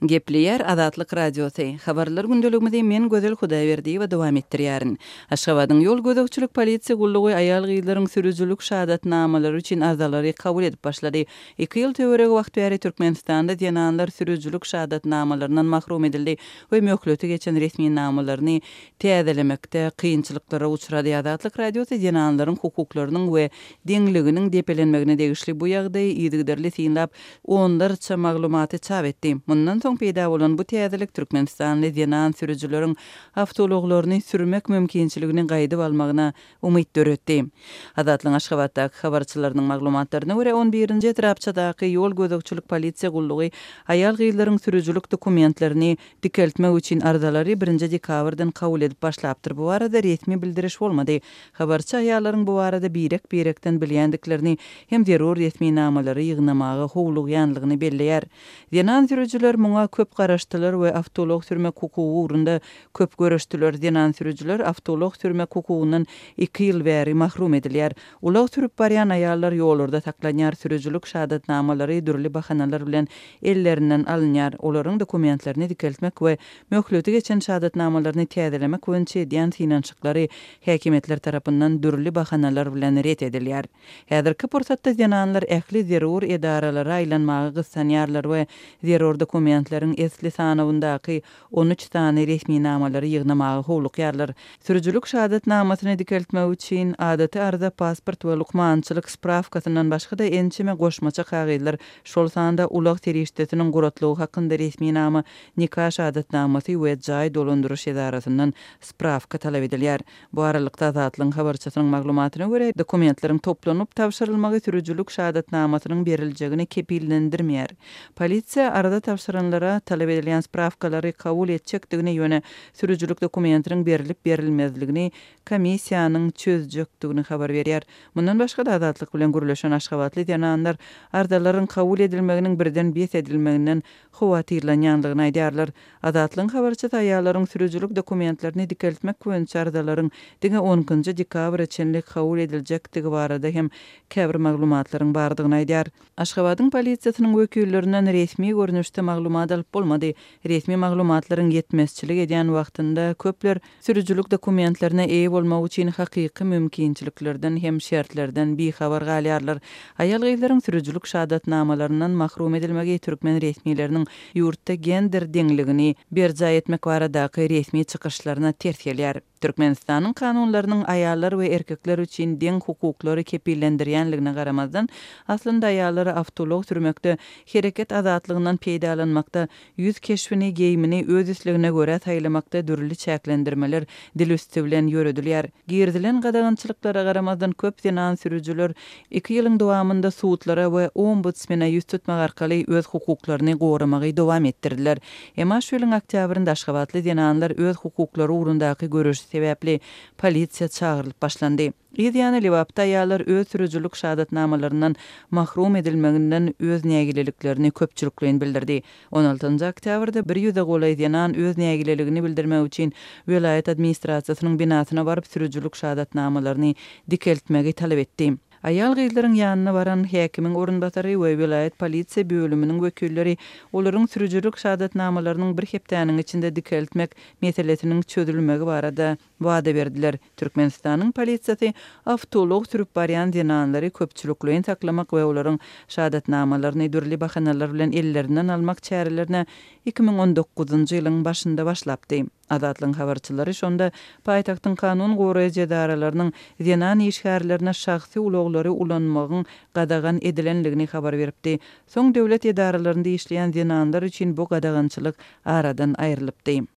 Gepleýär Azatlyk Radiosy. Habarlar gündeligimizi men Gözel Hudaýberdiýewa dowam etdirýärin. Aşgabadyň ýol gözegçilik polisiýa gullugy aýal-gyzlaryň sürüjilik şahadatnamalary üçin arzalary kabul edip başlady. Iki ýyl töweregi wagt bäri Türkmenistanda zenanlar sürüjilik şahadatnamalaryndan mahrum edildi we möhleti geçen resminamalaryny täzelemekde kynçylyklara uçrady. Azatlyk Radiosy zenanlaryň hukuklarynyň we deňliginiň depelenmegine degişli bu ýagdaýy yzygiderli synlap, onlarça maglumaty çap etdi. Mundan soň peýda bolan bu täzelik türkmenistanly zenan sürüjileriň awtoulaglaryny sürmek mümkinçiligini gaýdyp almagyna umyt döretdi. Azatlygyň Aşgabatdaky habarçylarynyň maglumatlaryna görä, on birinji etrapçadaky ýol gözegçilik polisiýa gullugy aýal-gyzlaryň sürüjilik dokumentlerini dikeltmek üçin arzalary birinji dekabrdan kabul edip başlapdyr. Bu barada resmi bildiriş bolmady. Habarçy aýallaryň bu barada birek-birekden bilýändiklerini hem zerur resminamalary ýygnamaga howlugýanlygyny belleýär. Zenan sürüjiler muňa köp garaşdylar we awtoulag sürmek hukugy ugrunda köp göreşdiler. Zenan sürüjiler awtoulag sürmek hukugyndan iki ýyl bäri mahrum edilýär. Ulag sürüp barýan aýallar ýollarda saklanýar, sürüjilik şahadatnamalary dürli bahanalar bilen ellerinden alynýar. Olaryň dokumentlerini dikeltmek we möhleti geçen şahadatnamalaryny täzelemek boýunça edýän synanyşyklary häkimiýetler tarapyndan dürli bahanalar bilen ret edilýär. Häzirki pursatda zenanlar ähli zerur edaralara aýlanmaga gyssanýarlar we zerur dokumentleriň esli sanawyndaky 13 sany resminamalary ýygnamaga howlukýarlar. Sürüjilik şahadatnamasyny dikeltmek üçin adaty arza, pasport we lukmançylyk sprawkasyndan başga-da ençeme goşmaça kagyzlar, şol sanda ulag serişdesiniň guratlygy hakynda resminama, nika şahadatnamasy we jaý dolandyryş edarasyndan sprawka talap edilýär. Bu aralykda, Azatlygyň habarçysynyň maglumatyna görä, dokumentleriň toplanyp tabşyrylmagy sürüjilik şahadatnamasynyň beriljegini kepillendirmeýär. Polisiýa arza tabşyranlara talap edilýän sprawkalary kabul etjekdigini, ýöne sürüjilik dokumentiniň berlip-berilmezligini komissiýanyň çözjekdigini habar berýär. Mundan başga-da, Azatlyk bilen gürleşen aşgabatly zenanlar arzalaryň kabul edilmeginiň birden bes edilmeginden howatyrlanýandygyny aýdýarlar. Azatlygyň habarçysy aýallaryň sürüjilik dokumentlerini dikeltmek boýunça arzalaryň diňe on ikinji dekabra çenli kabul ediljekdigi barada hem käbir maglumatlaryň bardygyny aýdýar. Aşgabadyň polisiýasynyň wekillerinden resmi görnüşde maglumat alyp bolmady. Resmi maglumatlaryň ýetmezçilik edýän wagtynda köpler Sürüjilik dokumentlerine eýe bolmak üçin hakyky mümkinçiliklerden hem şertlerden bihabar galýarlar. Aýal-gyzlaryň sürüjilik şahadatnamalaryndan mahrum edilmegi türkmen resmileriniň ýurtda gender deňligini berjaý etmek baradaky resmi çykyşlaryna ters gelýär. Türkmenistanyň kanunlarynyň aýallar we erkekler üçin deň hukuklary kepillendirýänligine garamazdan, aslynda aýallara awtoulag sürmekde, hereket azatlygyndan peýdalanmakda Ýüz keşbini, geýimini öz islegine görä saýlamakda dürli çäklendirmeler dil üsti bilen ýöredilýär. Girizilen gadagançylyklara garamazdan köp zenan sürüjiler iki ýylyň dowamynda sudlara we ombudsmene ýüz tutmak arkaly öz hukuklaryny goramagy dowam etdirdiler. Emma şu ýylyň oktýabrynda aşgabatly zenanlar öz hukuklary ugrundaky göreşi sebäpli polisiýa çagyrylyp başlandy. Yz ýany Lebapda aýallar öz sürüjilik şahadatnamalaryndan mahrum edilmeginden öz nägileliklerini köpçülikleýin bildirdi. On altynjy oktýabrda bir ýüze golaý zenan öz nägileligini bildirmek üçin welaýat administrasiýasynyň binasyna baryp sürüjilik şahadatnamalaryny dikeltmegi talap etdi. Aýal-gyzlaryň ýanyna baran häkimiň orunbasary we welaýat polisiýa bölüminiň wekilleri olaryň sürüjilik şahadatnamalarynyň bir hepdäniň içinde dikeltmek meselesiniň çözülmegi barada wada berdiler. Türkmenistanyň polisiýasy awtoulag sürüp barýan zenanlary köpçülikleýin saklamak we olaryň şahadatnamalaryny dürli bahanalar bilen ellerinden almak çärelerine 2019-njy ýylyň başynda başlapdy. Azatlygyň habarçylary şonda paýtagtyň kanun goraýjy edaralarynyň zenan işgärlerine şahsy ulaglary ulanmagyň gadagan edilendigini habar beripdi. Soň döwlet edaralarynda işleýän zenanlar üçin bu gadagançylyk aradan aýrylypdy.